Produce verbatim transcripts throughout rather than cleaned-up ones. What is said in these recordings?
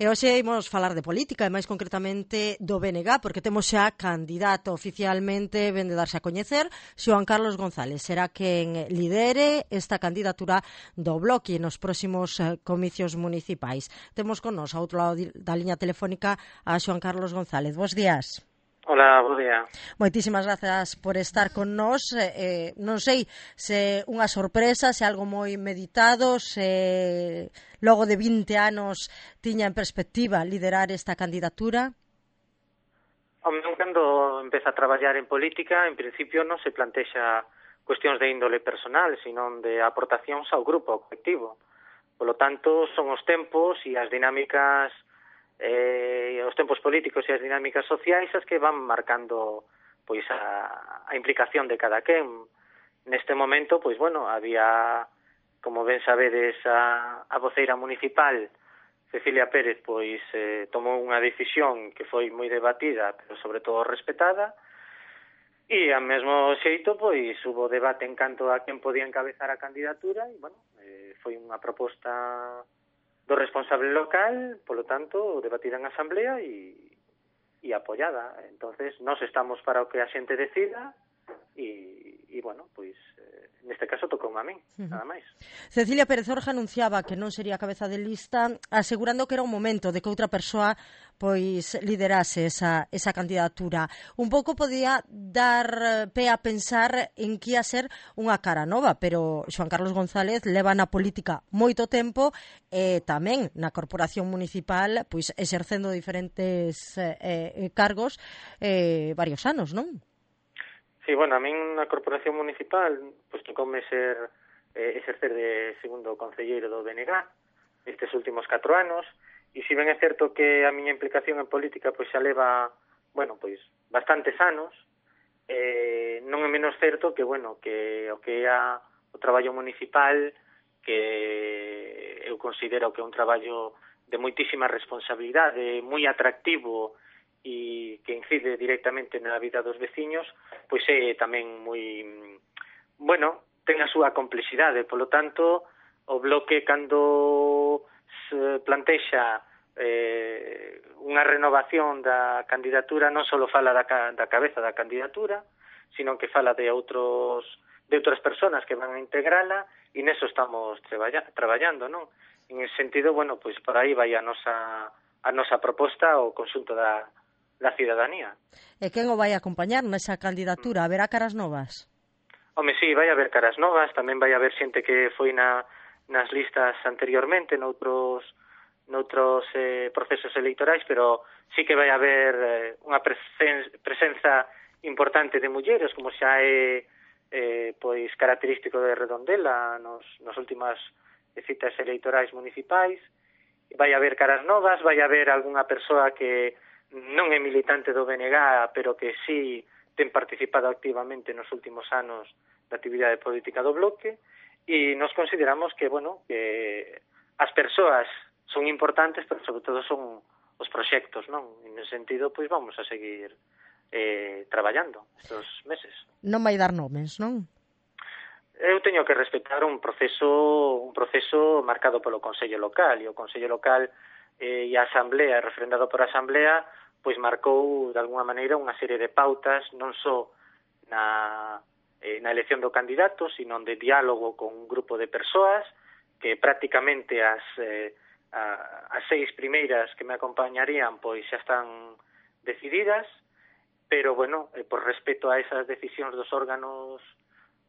E hoxe imos falar de política e máis concretamente do B N G, porque temos xa candidato oficialmente, ven de darse a coñecer, Xoán Carlos González. Será quen lidere esta candidatura do Bloque nos próximos comicios municipais. Temos con nos, ao outro lado da liña telefónica, a Xoán Carlos González. Bos días. Hola, bo día. Moitísimas grazas por estar con nós. Eh, non sei se unha sorpresa, se algo moi meditado, se logo de vinte anos tiña en perspectiva liderar esta candidatura. Home, cando empeza a traballar en política, en principio non se plantexa cuestións de índole personal, sino de aportacións ao grupo, ao colectivo. Polo tanto, son os tempos e as dinámicas eh, os tempos políticos e as dinámicas sociais as que van marcando pois a, a implicación de cada quen. Neste momento, pois bueno, había, como ben sabedes, a, a voceira municipal, Cecilia Pérez, pois eh, tomou unha decisión que foi moi debatida, pero sobre todo respetada, e ao mesmo xeito, pois, hubo debate en canto a quen podía encabezar a candidatura, e, bueno, eh, foi unha proposta do responsable local, polo tanto, debatida en asamblea e, e apoiada. Entonces, nós estamos para o que a xente decida e, e bueno, pois, eh, neste caso tocou a min, uh-huh. nada máis. Cecilia Pérez Orja anunciaba que non sería cabeza de lista, asegurando que era un momento de que outra persoa pois liderase esa, esa candidatura. Un pouco podía dar pé a pensar en que ia ser unha cara nova, pero Xoán Carlos González leva na política moito tempo e tamén na corporación municipal pois exercendo diferentes eh, cargos eh, varios anos, non? Sí, bueno, a min na corporación municipal pois tocoume ser eh, exercer de segundo concelleiro do B N G estes últimos catro anos. E se ben é certo que a miña implicación en política pois xa leva, bueno, pois bastantes anos, eh, non é menos certo que, bueno, que o que é a, o traballo municipal, que eu considero que é un traballo de moitísima responsabilidade, moi atractivo e que incide directamente na vida dos veciños, pois é tamén moi, bueno, ten a súa complexidade. Polo tanto, o Bloque, cando se plantexa eh, unha renovación da candidatura, non só fala da, da cabeza da candidatura, sino que fala de outros de outras persoas que van a integrala, e neso estamos treballa, traballando, non? En ese sentido, bueno, pois por aí vai a nosa a nosa proposta ao conxunto da da cidadanía. E quen o vai acompañar nesa candidatura? Haberá caras novas? Home, sí, vai haber caras novas, tamén vai haber xente que foi na nas listas anteriormente, noutros noutros eh, procesos electorais, pero sí que vai haber eh, unha presen presenza importante de mulleres, como xa é eh, pois característico de Redondela nos, nos últimas citas electorais municipais. Vai haber caras novas, vai haber algunha persoa que non é militante do B N G, pero que sí ten participado activamente nos últimos anos da actividade política do Bloque, e nos consideramos que, bueno, que as persoas son importantes, pero sobre todo son os proxectos, non? En ese sentido, pois vamos a seguir eh, traballando estes meses. Non vai dar nomes, non? Eu teño que respetar un proceso un proceso marcado polo Consello Local, e o Consello Local eh, e a Asamblea, refrendado por a Asamblea, pois marcou, de alguna maneira, unha serie de pautas, non só na, eh, na elección do candidato, sino de diálogo con un grupo de persoas, que prácticamente as, eh, a, as seis primeiras que me acompañarían, pois xa están decididas, pero, bueno, eh, por respeto a esas decisións dos órganos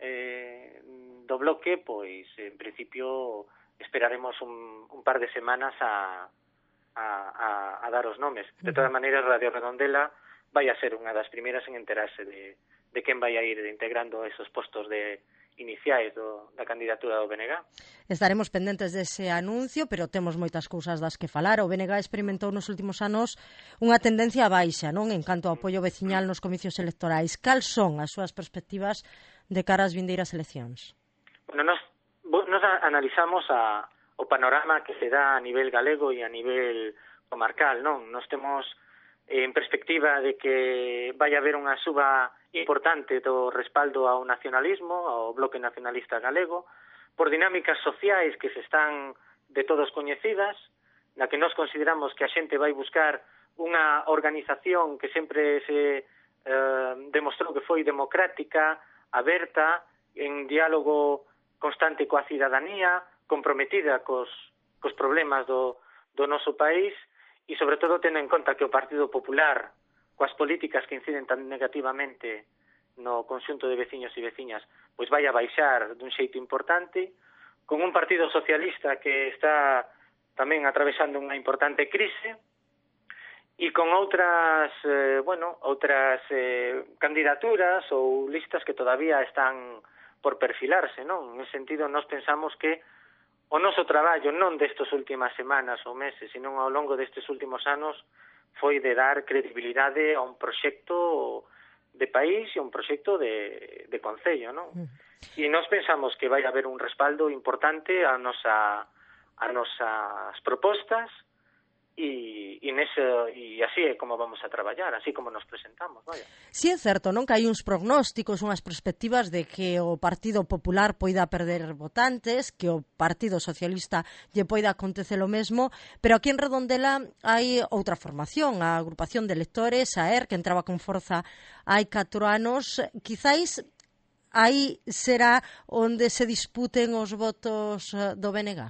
eh, do Bloque, pois, en principio, esperaremos un, un par de semanas a A, a, a dar os nomes. De todas maneiras, Radio Redondela vai a ser unha das primeiras en enterarse de, de quen vai a ir integrando esos postos de iniciais do, da candidatura do B N G. Estaremos pendentes dese anuncio, pero temos moitas cousas das que falar. O B N G experimentou nos últimos anos unha tendencia baixa, non, en canto ao apoio veciñal nos comicios electorais. Cal son as súas perspectivas de cara ás vindeiras eleccións? Bueno, nos, nos analizamos a o panorama que se dá a nivel galego e a nivel comarcal, non? Nos temos eh, en perspectiva de que vai haber unha suba importante do respaldo ao nacionalismo, ao Bloque Nacionalista Galego, por dinámicas sociais que se están de todos coñecidas. na que nós consideramos que a xente vai buscar unha organización que sempre se eh, demostrou que foi democrática, aberta, en diálogo constante coa cidadanía, comprometida cos, cos problemas do, do noso país e, sobre todo, tendo en conta que o Partido Popular, coas políticas que inciden tan negativamente no conxunto de veciños e veciñas, pois vai a baixar dun xeito importante, con un Partido Socialista que está tamén atravesando unha importante crise, e con outras, eh, bueno, outras eh, candidaturas ou listas que todavía están por perfilarse, non? En ese sentido, nós pensamos que o noso traballo non destas últimas semanas ou meses, sino ao longo destes últimos anos foi de dar credibilidade a un proxecto de país e a un proxecto de, de concello, non? Mm. E nós pensamos que vai haber un respaldo importante a nosa a nosas propostas e, e, nese, e así é como vamos a traballar, así como nos presentamos, vaya. Si é certo, non, que hai uns prognósticos, unhas perspectivas de que o Partido Popular poida perder votantes, que o Partido Socialista lle poida acontecer o mesmo, pero aquí en Redondela hai outra formación, a agrupación de electores, a E R, que entraba con forza hai catro anos, quizáis aí será onde se disputen os votos do B N G?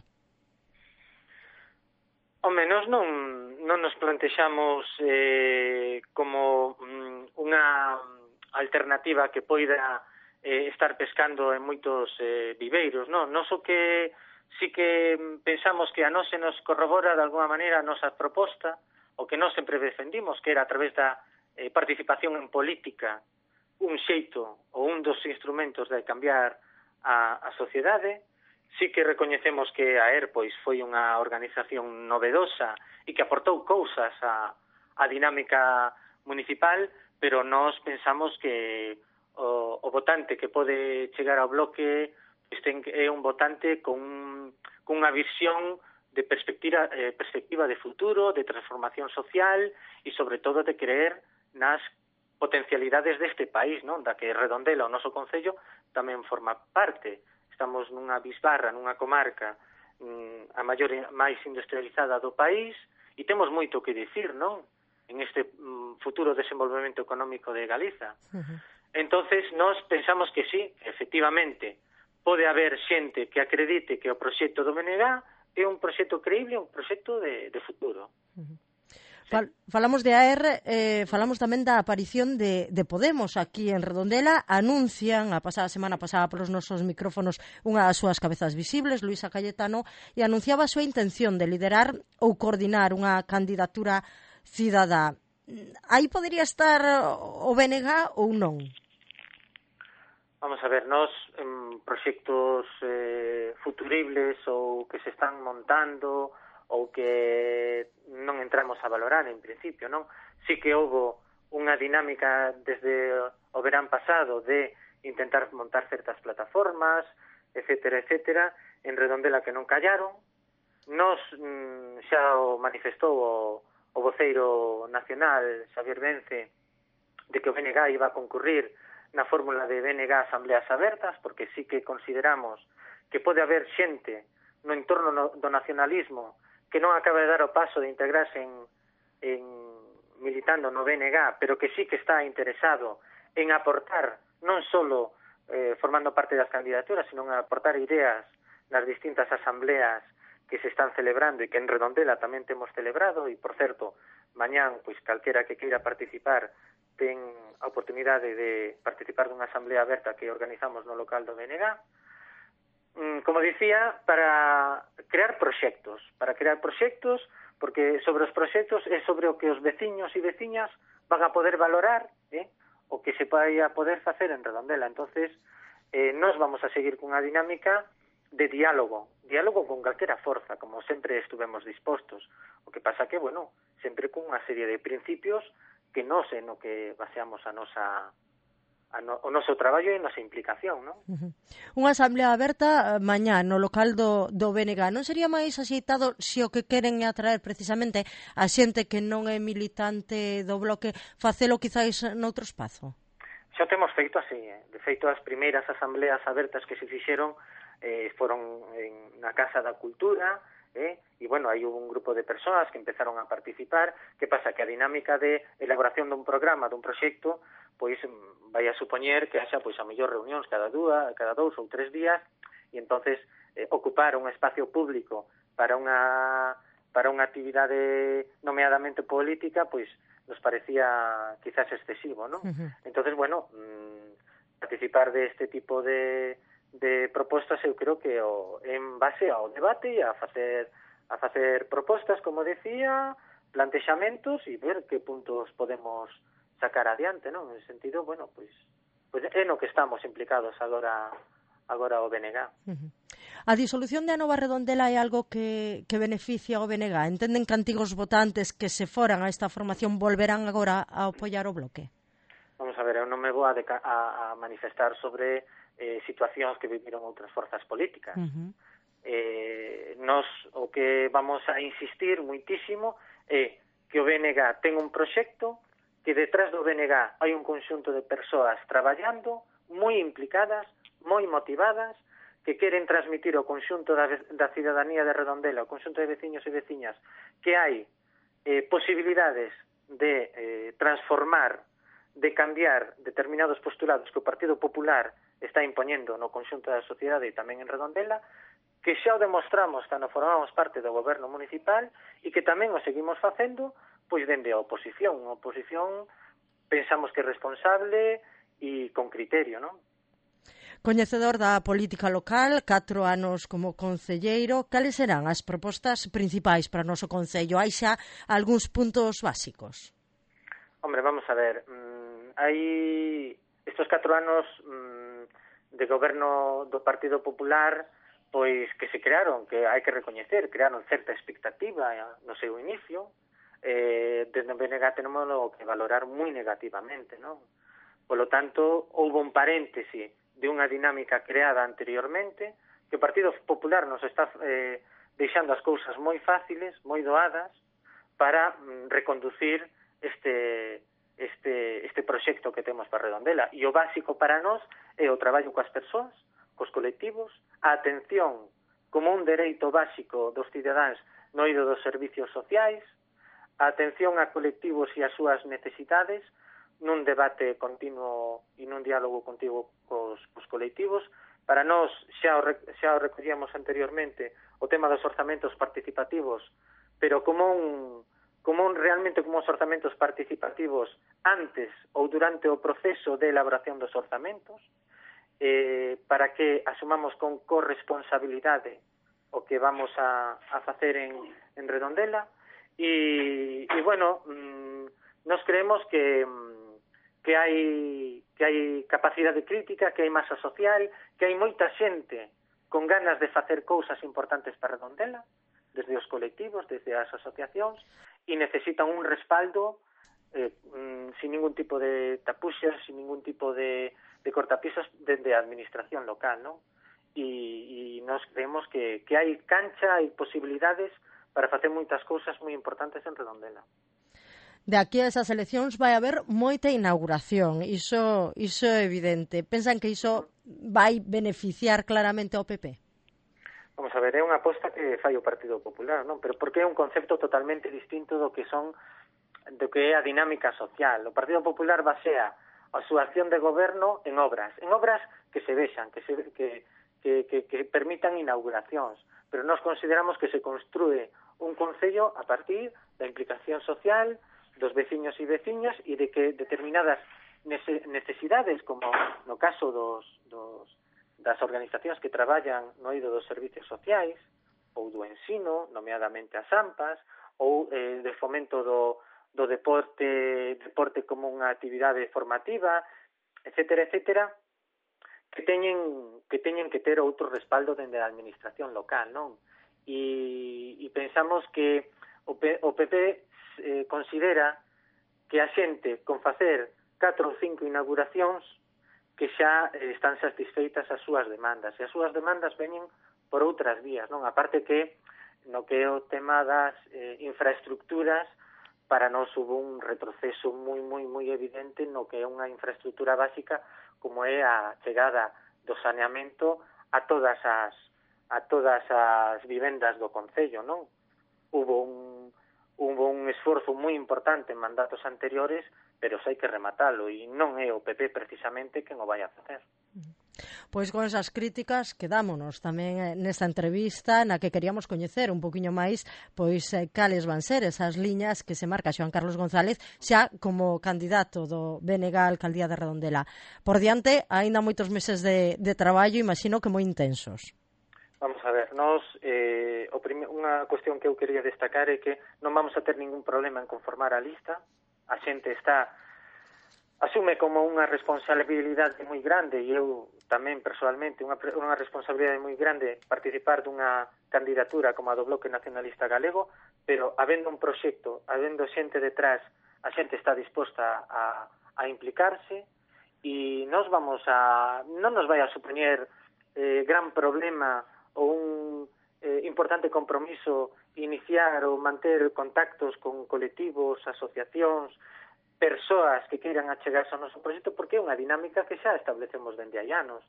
Home, nós non, non nos plantexamos eh, como mm, unha alternativa que poida eh, estar pescando en moitos eh, viveiros, non? Nos o que sí que pensamos que a nós se nos corrobora de alguma maneira a nosa proposta, o que nós sempre defendimos, que era a través da eh, participación en política un xeito ou un dos instrumentos de cambiar a, a sociedade. Sí que recoñecemos que a E R pois foi unha organización novedosa e que aportou cousas á, á dinámica municipal, pero nós pensamos que o, o votante que pode chegar ao bloque pois ten, é un votante con, con unha visión de perspectiva, eh, perspectiva de futuro, de transformación social e, sobre todo, de creer nas potencialidades deste país, non? Da que Redondela, o noso concello, tamén forma parte. Estamos nunha bisbarra, nunha comarca mm, a maior máis industrializada do país e temos moito que dicir, non? En este mm, futuro desenvolvemento económico de Galiza. Uh-huh. Entonces, nós pensamos que sí, efectivamente, pode haber xente que acredite que o proxecto do B N G é un proxecto creíble, un proxecto de, de futuro. Uh-huh. Fal, falamos de A R, eh, falamos tamén da aparición de, de Podemos aquí en Redondela. Anuncian, a pasada semana pasada polos nosos micrófonos, unha das súas cabezas visibles, Luisa Cayetano, e anunciaba a súa intención de liderar ou coordinar unha candidatura cidadá. Aí podería estar o B N G ou non? Vamos a ver, nós en proxectos eh, futuribles ou que se están montando ou que non entramos a valorar en principio, non? Sí que houve unha dinámica desde o verán pasado de intentar montar certas plataformas, etcétera, etcétera, en Redondela que non callaron. Nos mm, xa o manifestou o, o voceiro nacional, Xavier Vence, de que o B N G iba a concurrir na fórmula de B N G Asambleas Abertas, porque sí que consideramos que pode haber xente no entorno no, do nacionalismo que non acaba de dar o paso de integrarse en, en militando no B N G, pero que sí que está interesado en aportar, non só eh, formando parte das candidaturas, sino en aportar ideas nas distintas asambleas que se están celebrando e que en Redondela tamén temos celebrado, e, por certo, mañán, pois, calquera que queira participar ten a oportunidade de participar dunha asamblea aberta que organizamos no local do B N G. Como dicía, para crear proxectos, para crear proxectos, porque sobre os proxectos é sobre o que os veciños e veciñas van a poder valorar, eh, o que se vai a poder facer en Redondela. Entonces, eh, nós vamos a seguir cunha dinámica de diálogo, diálogo con calquera forza, como sempre estuvemos dispostos. O que pasa que, bueno, sempre cunha serie de principios que non sei no que baseamos a nosa a no, o noso traballo e a nosa implicación, non? Uh-huh. Unha asamblea aberta mañá no local do, do B N G. Non sería máis axeitado se o que queren é atraer precisamente a xente que non é militante do bloque, facelo quizáis noutro espazo? Xa o temos feito así, eh? De feito, as primeiras asambleas abertas que se fixeron eh, foron en, na Casa da Cultura, eh? E, bueno, hai un grupo de persoas que empezaron a participar. Que pasa? Que a dinámica de elaboración dun programa, dun proxecto, pois vai a supoñer que haxa, pois, a mellor reunións cada dúa, cada dous ou tres días, e entonces eh, ocupar un espacio público para unha para unha actividade nomeadamente política, pois nos parecía quizás excesivo, non? Uh-huh. Entonces, bueno, mmm, participar de este tipo de, de propostas eu creo que o, en base ao debate e a facer a facer propostas, como decía, plantexamentos e ver que puntos podemos sacar adiante, non? En ese sentido, bueno, pois, pois é no que estamos implicados agora agora o B N G. Uh-huh. A disolución de Anova Redondela é algo que, que beneficia o B N G? Entenden que antigos votantes que se foran a esta formación volverán agora a apoiar o bloque? Vamos a ver, eu non me vou a, deca- a, a manifestar sobre eh, situacións que viviron outras forzas políticas. Uh-huh. Eh, nos o que vamos a insistir muitísimo é que o B N G ten un proxecto, que detrás do B N G hai un conxunto de persoas traballando, moi implicadas, moi motivadas, que queren transmitir ao conxunto da, da cidadanía de Redondela, ao conxunto de veciños e veciñas, que hai eh, posibilidades de eh, transformar, de cambiar determinados postulados que o Partido Popular está impoñendo no conxunto da sociedade e tamén en Redondela, que xa o demostramos cando formamos parte do goberno municipal e que tamén o seguimos facendo pois dende a oposición. A oposición pensamos que é responsable e con criterio, non? Coñecedor da política local, catro anos como concelleiro, cales serán as propostas principais para o noso concello? Hai xa algúns puntos básicos? Hombre, vamos a ver, mmm, hai estes catro anos mmm, de goberno do Partido Popular, pois que se crearon, que hai que recoñecer, crearon certa expectativa no seu inicio, eh, desde o B N G tenemos que valorar moi negativamente, non? Polo tanto, houve un paréntese de unha dinámica creada anteriormente, que o Partido Popular nos está eh, deixando as cousas moi fáciles, moi doadas, para mm, reconducir este, este, este proxecto que temos para Redondela. E o básico para nós é o traballo coas persoas, cos colectivos, a atención como un dereito básico dos cidadáns no eido dos servicios sociais, a atención a colectivos e as súas necesidades, nun debate continuo e nun diálogo contigo cos, cos colectivos. Para nós, xa o, xa o recollíamos anteriormente, o tema dos orzamentos participativos, pero como un, como un realmente como os orzamentos participativos antes ou durante o proceso de elaboración dos orzamentos, eh, para que asumamos con corresponsabilidade o que vamos a, a facer en, en Redondela. E, e bueno, mmm, nos creemos que... que hai que hai capacidade crítica, que hai masa social, que hai moita xente con ganas de facer cousas importantes para Redondela, desde os colectivos, desde as asociacións, e necesitan un respaldo eh, mm, sin ningún tipo de tapuxas, sin ningún tipo de, de cortapisas dende a administración local, non? E, e nos creemos que, que hai cancha, hai posibilidades para facer moitas cousas moi importantes en Redondela. De aquí a esas eleccións vai haber moita inauguración, iso, iso é evidente. Pensan que iso vai beneficiar claramente ao P P? Vamos a ver, é unha aposta que fai o Partido Popular, non? Pero porque é un concepto totalmente distinto do que son do que é a dinámica social. O Partido Popular basea a súa acción de goberno en obras, en obras que se vexan, que se que que que, que permitan inauguracións, pero nós consideramos que se construe un concello a partir da implicación social dos veciños e veciñas e de que determinadas necesidades, como no caso dos, dos, das organizacións que traballan no eido dos servicios sociais, ou do ensino, nomeadamente as AMPAs, ou eh, de fomento do, do deporte, deporte como unha actividade formativa, etcétera, etcétera, que teñen que teñen que ter outro respaldo dende a administración local, non? E, e pensamos que o, P, o P P eh, considera que a xente con facer catro ou cinco inauguracións que xa eh, están satisfeitas as súas demandas, e as súas demandas veñen por outras vías, non? A parte que no que é o tema das eh, infraestructuras, para nós hubo un retroceso moi, moi, moi evidente no que é unha infraestructura básica como é a chegada do saneamento a todas as a todas as vivendas do Concello, non? Hubo un, hubo un esforzo moi importante en mandatos anteriores, pero xa hai que rematalo, e non é o P P precisamente quen o vai a facer. Pois con esas críticas quedámonos tamén nesta entrevista na que queríamos coñecer un poquinho máis pois cales van ser esas liñas que se marca Xoán Carlos González xa como candidato do B N G á Alcaldía de Redondela. Por diante, aínda moitos meses de, de traballo, imagino que moi intensos. Vamos a ver, nos, eh, o prime, unha cuestión que eu quería destacar é que non vamos a ter ningún problema en conformar a lista. A xente está asume como unha responsabilidade moi grande, e eu tamén persoalmente unha, unha responsabilidade moi grande participar dunha candidatura como a do Bloque Nacionalista Galego, pero habendo un proxecto, habendo xente detrás, a xente está disposta a, a implicarse, e nos vamos a non nos vai a supoñer eh, gran problema ou un eh, importante compromiso iniciar ou manter contactos con colectivos, asociacións, persoas que queiran achegarse ao noso proxecto, porque é unha dinámica que xa establecemos dende hai anos.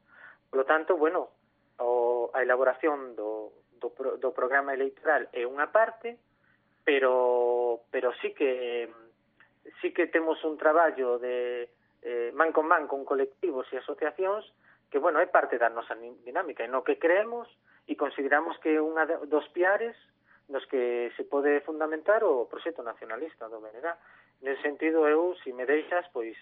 Por lo tanto, bueno, o, a elaboración do, do, do programa electoral é unha parte, pero pero sí que sí que temos un traballo de eh, man con man con colectivos e asociacións que, bueno, é parte da nosa dinámica, e no que creemos e consideramos que é unha dos piares nos que se pode fundamentar o proxecto nacionalista do B N G. Nese sentido, eu, se me deixas, pois,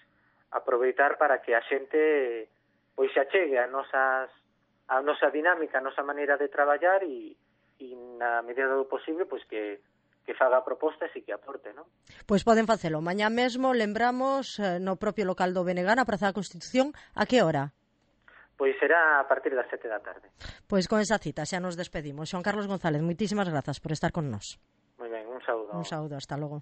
aproveitar para que a xente pois se achegue a nosas a nosa dinámica, a nosa maneira de traballar, e, e na medida do posible, pois que que faga propostas e que aporte, non? Pois poden facelo. Mañá mesmo, lembramos, no propio local do B N G, na Praza da Constitución, a que hora? Pois será a partir das sete da tarde. Pois con esa cita xa nos despedimos. Xoán Carlos González, moitísimas grazas por estar con nós. Moi ben, un saúdo. Un saúdo, hasta logo.